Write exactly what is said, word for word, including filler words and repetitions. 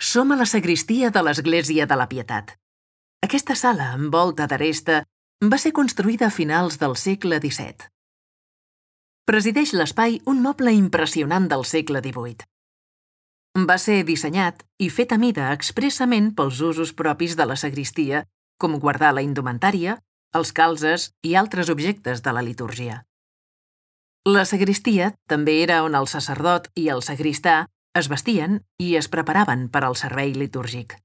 Som a la sagristia de l'Església de la Pietat. Aquesta sala, amb volta d'aresta, va ser construïda a finals del segle disset. Presideix l'espai un moble impressionant del segle divuit. Va ser dissenyat i fet a mida expressament pels usos propis de la sagristia, com guardar la indumentària, els calzes i altres objectes de la litúrgia. La sagristia també era on el sacerdot i el sagristà es vestien i es preparaven per al servei litúrgic.